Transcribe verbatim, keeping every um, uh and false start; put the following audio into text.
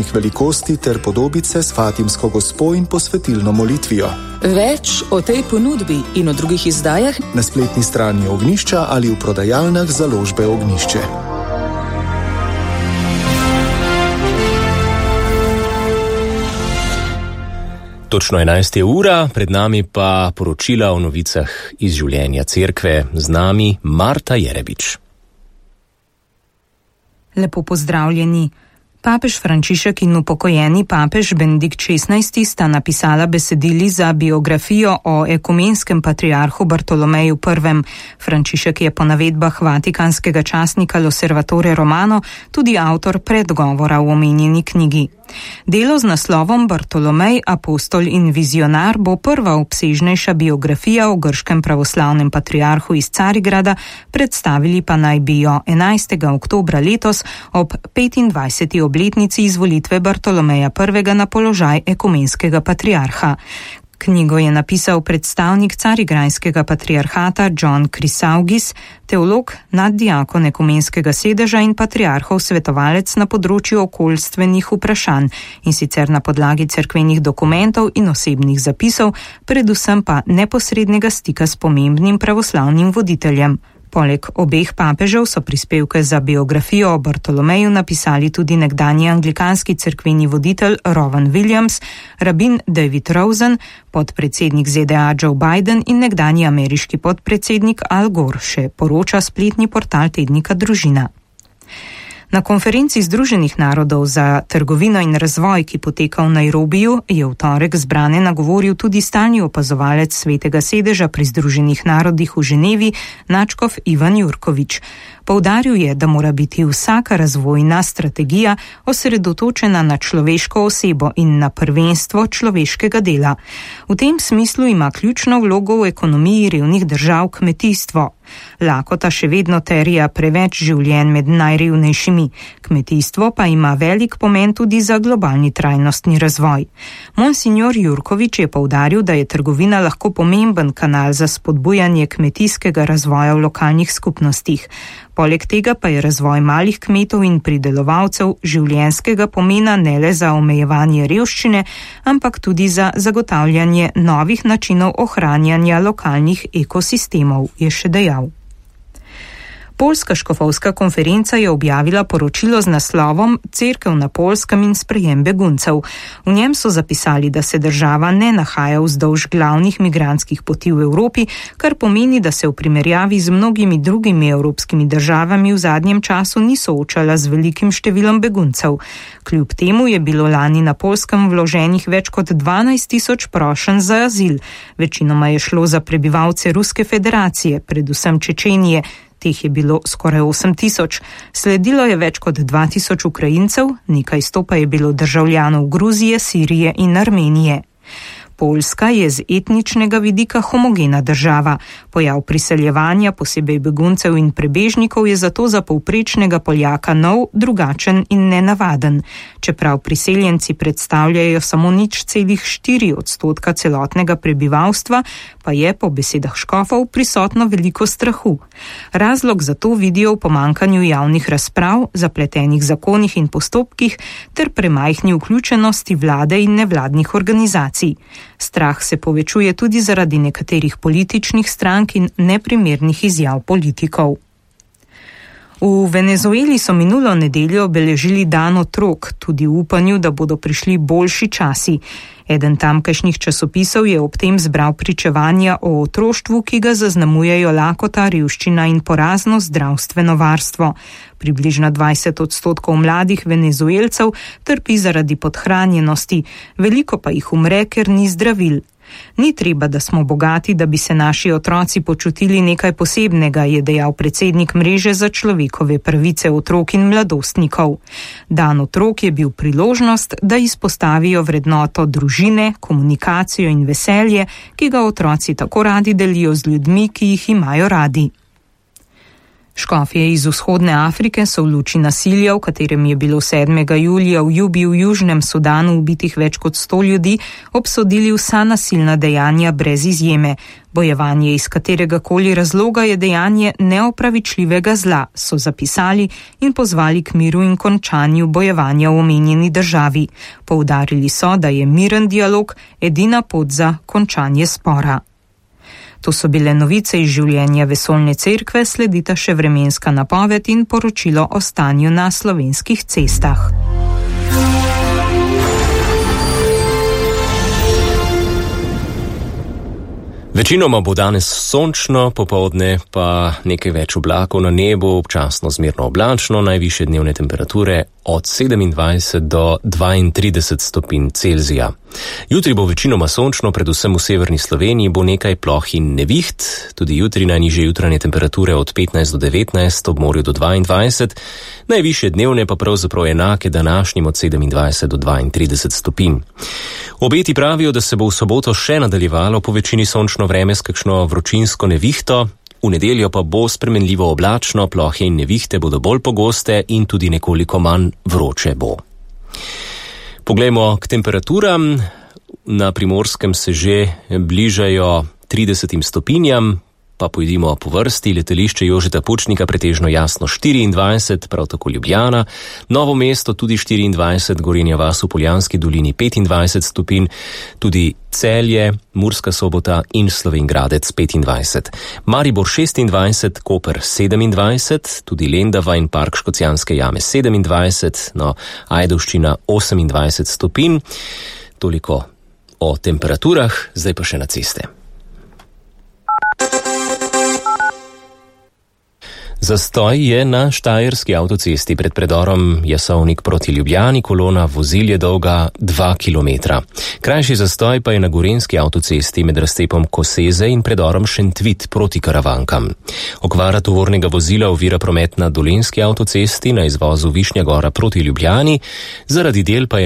velikosti ter podobice s Fatimsko gospo in posvetilno molitvijo. Več o tej ponudbi in o drugih izdajah na spletni strani Ognjišča ali v prodajalnah založbe Ognjišče. Točno enajsta ura, pred nami pa poročila o novicah iz življenja cerkve, z nami Marta Jerebič. Lepo pozdravljeni. Papež Frančišek in upokojeni papež Benedikt šestnajsti sta napisala besedili za biografijo o ekumenskem patriarhu Bartolomeju prvem. Frančišek je po navedbah vatikanskega časnika L'Osservatore Romano tudi avtor predgovora v omenjeni knjigi. Delo z naslovom Bartolomej, apostol in vizionar bo prva obsežnejša biografija o grškem pravoslavnem patriarhu iz Carigrada, predstavili pa naj bi jo enajstega oktobra letos ob petindvajseti obletnici izvolitve Bartolomeja prvega na položaj ekumenskega patriarha. Knjigo je napisal predstavnik Carigrajskega patriarhata John Chrysaugis, teolog, naddiakon ekumenskega sedeža in patriarhov svetovalec na področju okoljstvenih vprašanj, in sicer na podlagi cerkvenih dokumentov in osebnih zapisov, predvsem pa neposrednega stika s pomembnim pravoslavnim voditeljem. Poleg obeh papežev so prispevke za biografijo o Bartolomeju napisali tudi nekdanji anglikanski cerkveni voditelj Rowan Williams, rabin David Rosen, podpredsednik Z D A Joe Biden in nekdanji ameriški podpredsednik Al Gore, še poroča spletni portal tednika Družina. Na konferenci Združenih narodov za trgovino in razvoj, ki poteka v Nairobiju, je v torek zbrane nagovoril tudi stalni opazovalec Svetega sedeža pri Združenih narodih v Ženevi, nadškof Ivan Jurkovič. Poudaril je, da mora biti vsaka razvojna strategija osredotočena na človeško osebo in na prvenstvo človeškega dela. V tem smislu ima ključno vlogo v ekonomiji revnih držav kmetijstvo. Lakota še vedno terja preveč življenj med najrevnejšimi. Kmetijstvo pa ima velik pomen tudi za globalni trajnostni razvoj. Monsignor Jurkovič je poudaril, da je trgovina lahko pomemben kanal za spodbujanje kmetijskega razvoja v lokalnih skupnostih. Poleg tega pa je razvoj malih kmetov in pridelovalcev življenjskega pomena ne le za omejevanje revščine, ampak tudi za zagotavljanje novih načinov ohranjanja lokalnih ekosistemov, je še dejal. Poljska škofovska konferenca je objavila poročilo z naslovom Cerkev na Poljskem in sprejem beguncev. V njem so zapisali, da se država ne nahaja vzdolž glavnih migrantskih poti v Evropi, kar pomeni, da se v primerjavi z mnogimi drugimi evropskimi državami v zadnjem času ni soočala z velikim številom beguncev. Kljub temu je bilo lani na Poljskem vloženih več kot dvanajst tisoč prošenj za azil. Večinoma je šlo za prebivalce Ruske federacije, predvsem Čečenije. Teh je bilo skoraj osem tisoč. Sledilo je več kot dva tisoč Ukrajincev, nekaj sto pa je bilo državljanov Gruzije, Sirije in Armenije. Poljska je z etničnega vidika homogena država. Pojav priseljevanja, posebej beguncev in prebežnikov, je zato za povprečnega Poljaka nov, drugačen in nenavaden. Čeprav priseljenci predstavljajo samo nič celih štiri odstotka celotnega prebivalstva, pa je po besedah škofov prisotno veliko strahu. Razlog za to vidijo v pomankanju javnih razprav, zapletenih zakonih in postopkih ter premajhni vključenosti vlade in nevladnih organizacij. Strah se povečuje tudi zaradi nekaterih političnih strank in neprimernih izjav politikov. V Venezueli so minulo nedeljo obeležili dan otrok, tudi v upanju, da bodo prišli boljši časi. Eden tamkajšnjih časopisov je ob tem zbral pričevanja o otroštvu, ki ga zaznamujejo lakota, revščina in porazno zdravstveno varstvo. Približno dvajset odstotkov mladih Venezuelcev trpi zaradi podhranjenosti, veliko pa jih umre, ker ni zdravil. Ni treba, da smo bogati, da bi se naši otroci počutili nekaj posebnega, je dejal predsednik mreže za človekove pravice otrok in mladostnikov. Dan otrok je bil priložnost, da izpostavijo vrednoto družine, komunikacijo in veselje, ki ga otroci tako radi delijo z ljudmi, ki jih imajo radi. Škofje iz vzhodne Afrike so v luči nasilja, v katerem je bilo sedmega julija v Jubi v Južnem Sudanu ubitih več kot sto ljudi, obsodili vsa nasilna dejanja brez izjeme. Bojevanje iz katerega koli razloga je dejanje neopravičljivega zla, so zapisali in pozvali k miru in končanju bojevanja v omenjeni državi. Poudarili so, da je miren dialog edina pot za končanje spora. To so bile novice iz življenja Vesoljne cerkve, sledita še vremenska napoved in poročilo o stanju na slovenskih cestah. Večinoma bo danes sončno, popoldne pa nekaj več oblakov na nebu, občasno zmerno oblačno, najvišje dnevne temperature od sedemindvajset do dvaintrideset stopinj Celzija. Jutri bo večinoma sončno, predvsem v severni Sloveniji bo nekaj ploh in neviht, tudi jutri najnižje jutranje temperature od petnajst do devetnajst, ob morju do dvaindvajset, najvišje dnevne pa pravzaprav enake današnjim od sedemindvajset do dvaintrideset stopinj. Obeti pravijo, da se bo v soboto še nadaljevalo po večini sončno vreme s kakšno vročinsko nevihto, v nedeljo pa bo spremenljivo oblačno, plohe in nevihte bodo bolj pogoste in tudi nekoliko manj vroče bo. Poglejmo k temperaturam. Na Primorskem se že bližajo tridesetim stopinjam, pa pojdimo po vrsti. Letališče Jožeta Pučnika pretežno jasno štiriindvajset, prav tako Ljubljana, Novo mesto tudi štiriindvajset, Gorenja vas v Poljanski dolini petindvajset stopinj, tudi Celje, Murska Sobota in Slovenj Gradec petindvajset. Maribor šestindvajset, Koper sedemindvajset, tudi Lendava in Park Škocjanske jame sedemindvajset, no Ajdovščina osemindvajset stopinj. Toliko o temperaturah, zdaj pa še na ceste. Zastoj je na štajerski avtocesti pred predorom Jasovnik proti Ljubljani, kolona vozil je dolga dva kilometra. Krajši zastoj pa je na gorenjski avtocesti med razcepom Koseze in predorom Šentvit proti Karavankam. Okvara tovornega vozila ovira promet na dolenjski avtocesti na izvozu Višnja Gora proti Ljubljani, zaradi del pa je